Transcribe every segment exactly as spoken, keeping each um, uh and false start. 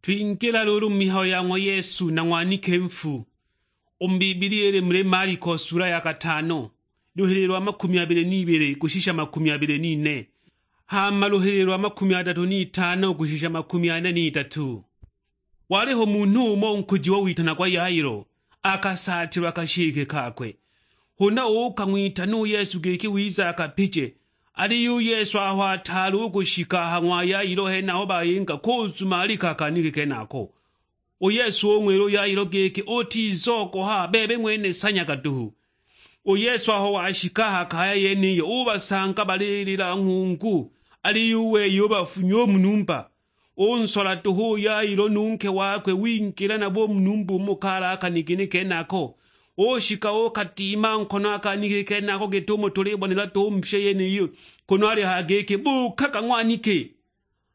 Twingila luulu mu mihayo ya ng'wa Yesu na ng'wanike nfu. U mu Bibilia ili muli Maliko sula ya katano, luhili lwa makumi abili n'ibili kushisha makumi abili n'ine, hama luhili lwa makumi adatu n'itano kushisha makumi ane n'itatu. Waliho munhu umo nkujiwa witanagwa Yailo, akasaatilwa kashike kakwe. Huna uukang'witana u Yesu giki wize akapije, aliyo u Yesu aho ataali u kushika a ha ng'wa Yailo henaho bayinga kuzumalika a kanike kenako. U Yesu ung'wila u Yailo giki, "Utizogoha, bebe ng'wene sanyaga duhu." U Yesu aho washika a ha kaya yeniyo, ubasanga balilila nghungu, aliyo u wei ubafunya u mu numba. Unsola duhu u Yailo nu nke wakwe, wingila nabo u mu numba umo kali a kanigini kenako. Ushika ukadima nkono a kanigini kenako git'umo tulibonela duhu mu pye yeniyi, kunu alihaya giki, "Buukaga ng'waniki!"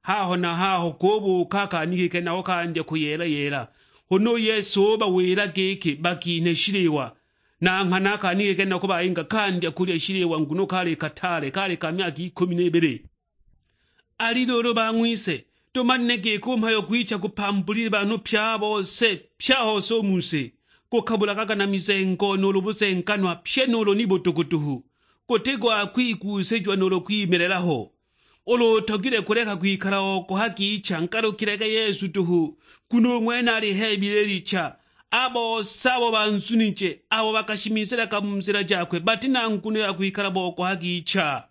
Haho na haho kubuuka a kanigini kenako kandya kuyeela-yeela. Huna u Yesu ubawila giki bakinhe shiliwa. Na nghana a kanigini kenako bayinga kandya kulya shiliwa, nguno kali kataale, kali ka myaka ikumi n'ibili. Ali luulu bang'wise, tumanile giki u mhayo gwicha gupambulile banhu pye a bose, pye a hose u mu si, gukabulaga na mizengo nuulu buzenganwa, pye nuulu ni budugu duhu, guti gwa kwiguusijiwa nuulu kwimilela ho. Ulu utogilwe kuleka kwikala ogoha gicha, ngalukilage Yesu duhu, nguno u ng'wene aliheebile licha. A bose abo banzunije, abo bakashimizilaga mu nzila jakwe, bati na nguno ya kwikala bogoha gicha.